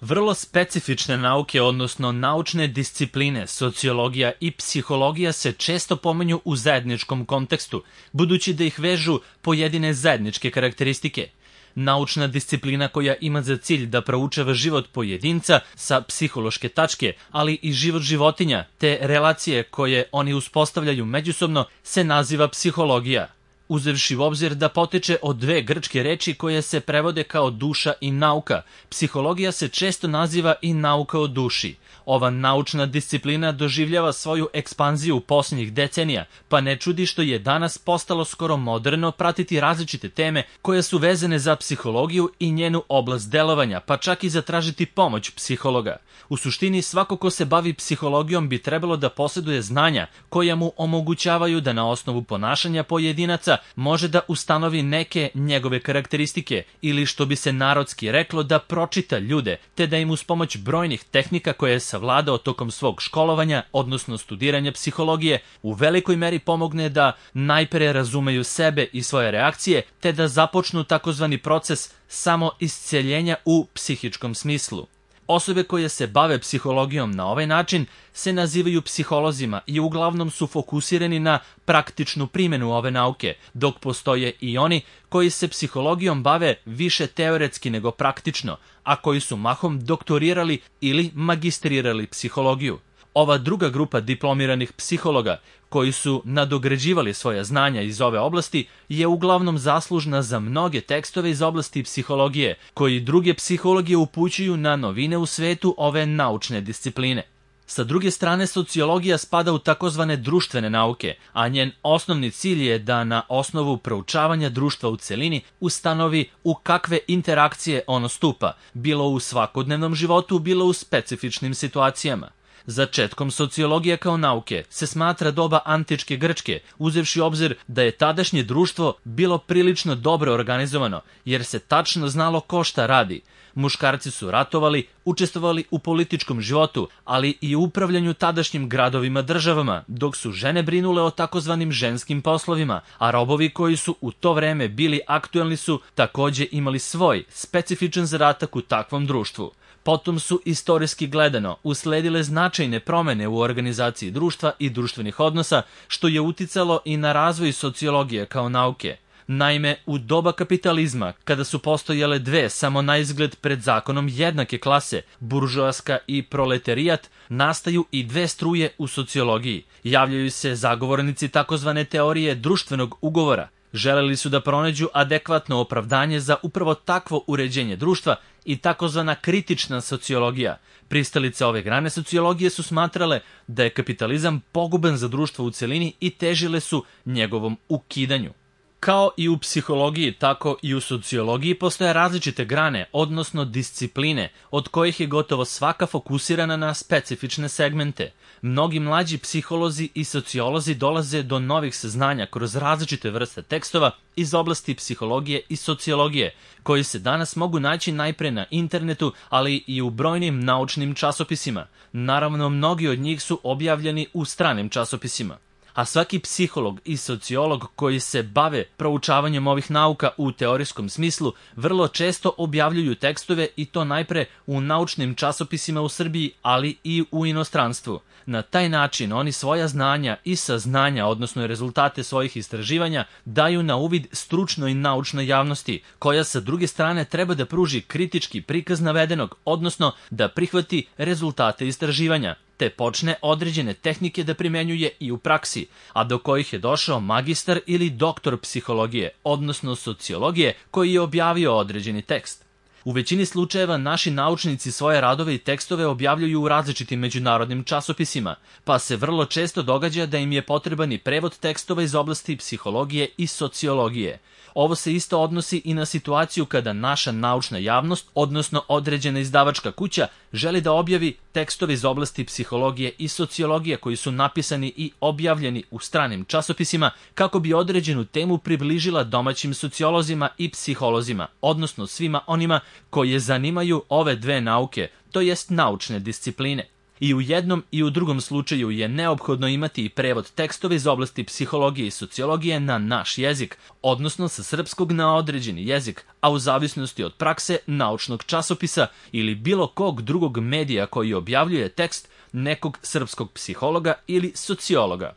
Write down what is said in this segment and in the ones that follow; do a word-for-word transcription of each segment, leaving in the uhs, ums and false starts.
Vrlo specifične nauke, odnosno naučne discipline, sociologija i psihologija se često pominju u zajedničkom kontekstu, budući da ih vežu pojedine zajedničke karakteristike. Naučna disciplina koja ima za cilj da proučava život pojedinca sa psihološke tačke, ali i život životinja, te relacije koje oni uspostavljaju međusobno, se naziva psihologija. Uzevši u obzir da potiče od dve grčke reči koje se prevode kao duša i nauka, psihologija se često naziva i nauka o duši. Ova naučna disciplina doživljava svoju ekspanziju posljednjih decenija, pa ne čudi što je danas postalo skoro moderno pratiti različite teme koje su vezane za psihologiju i njenu oblast delovanja, pa čak i zatražiti pomoć psihologa. U suštini, svako ko se bavi psihologijom bi trebalo da posjeduje znanja koja mu omogućavaju da na osnovu ponašanja pojedinaca može da ustanovi neke njegove karakteristike ili, što bi se narodski reklo, da pročita ljude, te da im uz pomoć brojnih tehnika koje je savladao tokom svog školovanja, odnosno studiranja psihologije, u velikoj meri pomogne da najpre razumeju sebe i svoje reakcije, te da započnu takozvani proces samoisceljenja u psihičkom smislu. Osobe koje se bave psihologijom na ovaj način se nazivaju psiholozima i uglavnom su fokusirani na praktičnu primjenu ove nauke, dok postoje i oni koji se psihologijom bave više teoretski nego praktično, a koji su mahom doktorirali ili magistrirali psihologiju. Ova druga grupa diplomiranih psihologa, koji su nadograđivali svoja znanja iz ove oblasti, je uglavnom zaslužna za mnoge tekstove iz oblasti psihologije, koji druge psihologije upućuju na novine u svetu ove naučne discipline. Sa druge strane, sociologija spada u takozvane društvene nauke, a njen osnovni cilj je da na osnovu proučavanja društva u celini ustanovi u kakve interakcije ono stupa, bilo u svakodnevnom životu, bilo u specifičnim situacijama. Začetkom sociologije kao nauke se smatra doba antičke Grčke, uzevši obzir da je tadašnje društvo bilo prilično dobro organizovano, jer se tačno znalo ko šta radi. Muškarci su ratovali, učestvovali u političkom životu, ali i u upravljanju tadašnjim gradovima državama, dok su žene brinule o takozvanim ženskim poslovima, a robovi koji su u to vreme bili aktuelni su takođe imali svoj specifičan zadatak u takvom društvu. Potom su, istorijski gledano, usledile značajne promene u organizaciji društva i društvenih odnosa, što je uticalo i na razvoj sociologije kao nauke. Naime, u doba kapitalizma, kada su postojale dve samo naizgled pred zakonom jednake klase, buržoaska i proletarijat, nastaju i dve struje u sociologiji. Javljaju se zagovornici takozvane teorije društvenog ugovora. Želeli su da pronađu adekvatno opravdanje za upravo takvo uređenje društva i takozvana kritična sociologija. Pristalice ove grane sociologije su smatrale da je kapitalizam poguban za društvo u celini i težile su njegovom ukidanju. Kao i u psihologiji, tako i u sociologiji postoje različite grane, odnosno discipline, od kojih je gotovo svaka fokusirana na specifične segmente. Mnogi mlađi psiholozi i sociolozi dolaze do novih saznanja kroz različite vrste tekstova iz oblasti psihologije i sociologije, koji se danas mogu naći najpre na internetu, ali i u brojnim naučnim časopisima. Naravno, mnogi od njih su objavljeni u stranim časopisima. A svaki psiholog i sociolog koji se bave proučavanjem ovih nauka u teorijskom smislu vrlo često objavljuju tekstove, i to najpre u naučnim časopisima u Srbiji, ali i u inostranstvu. Na taj način oni svoja znanja i saznanja, odnosno rezultate svojih istraživanja, daju na uvid stručnoj naučnoj javnosti, koja sa druge strane treba da pruži kritički prikaz navedenog, odnosno da prihvati rezultate istraživanja, te počne određene tehnike da primenjuje i u praksi, a do kojih je došao magistar ili doktor psihologije, odnosno sociologije, koji je objavio određeni tekst. U većini slučajeva naši naučnici svoje radove i tekstove objavljuju u različitim međunarodnim časopisima, pa se vrlo često događa da im je potreban i prevod tekstova iz oblasti psihologije i sociologije. Ovo se isto odnosi i na situaciju kada naša naučna javnost, odnosno određena izdavačka kuća, želi da objavi tekstove iz oblasti psihologije i sociologije koji su napisani i objavljeni u stranim časopisima, kako bi određenu temu približila domaćim sociolozima i psiholozima, odnosno svima onima koje zanimaju ove dve nauke, to jest naučne discipline. I u jednom i u drugom slučaju je neophodno imati i prevod tekstova iz oblasti psihologije i sociologije na naš jezik, odnosno sa srpskog na određeni jezik, a u zavisnosti od prakse naučnog časopisa ili bilo kog drugog medija koji objavljuje tekst nekog srpskog psihologa ili sociologa.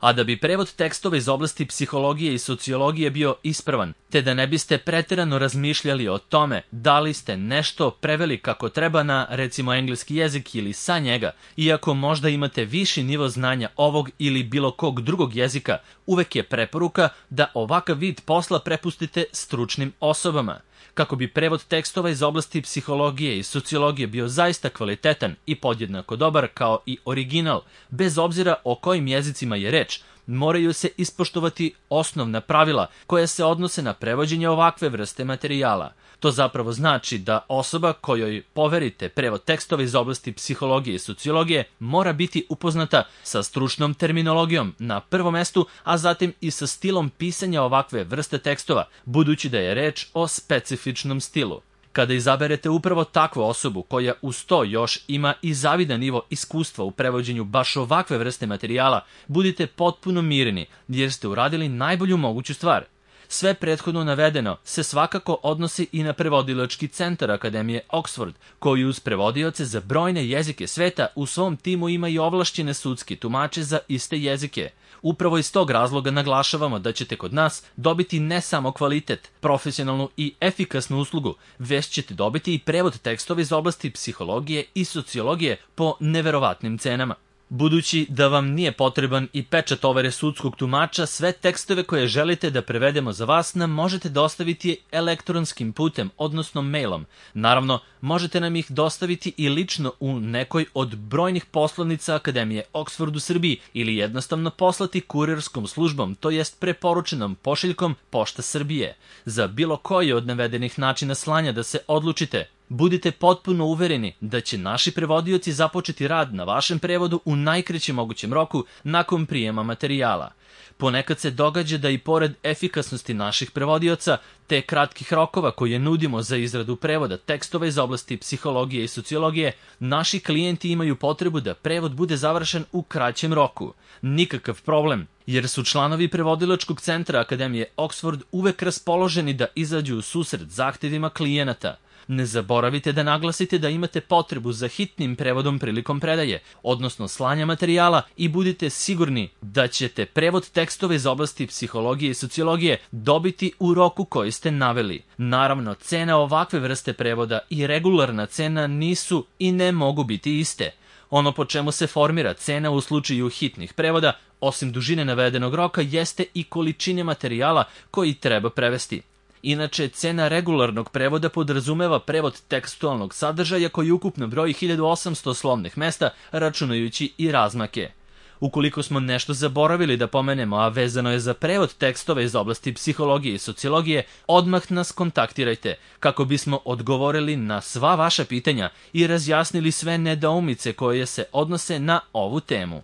A da bi prevod tekstova iz oblasti psihologije i sociologije bio ispravan, te da ne biste preterano razmišljali o tome da li ste nešto preveli kako treba na, recimo, engleski jezik ili sa njega, iako možda imate viši nivo znanja ovog ili bilo kog drugog jezika, uvek je preporuka da ovakav vid posla prepustite stručnim osobama. Kako bi prevod tekstova iz oblasti psihologije i sociologije bio zaista kvalitetan i podjednako dobar kao i original, bez obzira o kojim jezicima je reč, moraju se ispoštovati osnovna pravila koja se odnose na prevođenje ovakve vrste materijala. To zapravo znači da osoba kojoj poverite prevod tekstova iz oblasti psihologije i sociologije mora biti upoznata sa stručnom terminologijom na prvom mestu, a zatim i sa stilom pisanja ovakve vrste tekstova, budući da je reč o specifičnom stilu. Kada izaberete upravo takvu osobu koja uz to još ima i zavidan nivo iskustva u prevođenju baš ovakve vrste materijala, budite potpuno mirni jer ste uradili najbolju moguću stvar. Sve prethodno navedeno se svakako odnosi i na prevodilački centar Akademije Oxford, koji uz prevodioce za brojne jezike sveta u svom timu ima i ovlašćene sudske tumače za iste jezike. Upravo iz tog razloga naglašavamo da ćete kod nas dobiti ne samo kvalitet, profesionalnu i efikasnu uslugu, već ćete dobiti i prevod tekstova iz oblasti psihologije i sociologije po neverovatnim cenama. Budući da vam nije potreban i pečat overe sudskog tumača, sve tekstove koje želite da prevedemo za vas nam možete dostaviti elektronskim putem, odnosno mailom. Naravno, možete nam ih dostaviti i lično u nekoj od brojnih poslovnica Akademije Oxford u Srbiji ili jednostavno poslati kurirskom službom, to jest preporučenom pošiljkom Pošta Srbije. Za bilo koji od navedenih načina slanja da se odlučite, budite potpuno uvereni da će naši prevodioci započeti rad na vašem prevodu u najkraćem mogućem roku nakon prijema materijala. Ponekad se događa da i pored efikasnosti naših prevodioca, te kratkih rokova koje nudimo za izradu prevoda tekstova iz oblasti psihologije i sociologije, naši klijenti imaju potrebu da prevod bude završen u kraćem roku. Nikakav problem, jer su članovi prevodilačkog centra Akademije Oxford uvek raspoloženi da izađu u susret zahtevima klijenata. Ne zaboravite da naglasite da imate potrebu za hitnim prevodom prilikom predaje, odnosno slanja materijala, i budite sigurni da ćete prevod tekstova iz oblasti psihologije i sociologije dobiti u roku koji ste naveli. Naravno, cena ovakve vrste prevoda i regularna cena nisu i ne mogu biti iste. Ono po čemu se formira cena u slučaju hitnih prevoda, osim dužine navedenog roka, jeste i količine materijala koji treba prevesti. Inače, cena regularnog prevoda podrazumeva prevod tekstualnog sadržaja koji ukupno broji hiljadu osamsto slovnih mesta, računajući i razmake. Ukoliko smo nešto zaboravili da pomenemo, a vezano je za prevod tekstova iz oblasti psihologije i sociologije, odmah nas kontaktirajte kako bismo odgovorili na sva vaša pitanja i razjasnili sve nedoumice koje se odnose na ovu temu.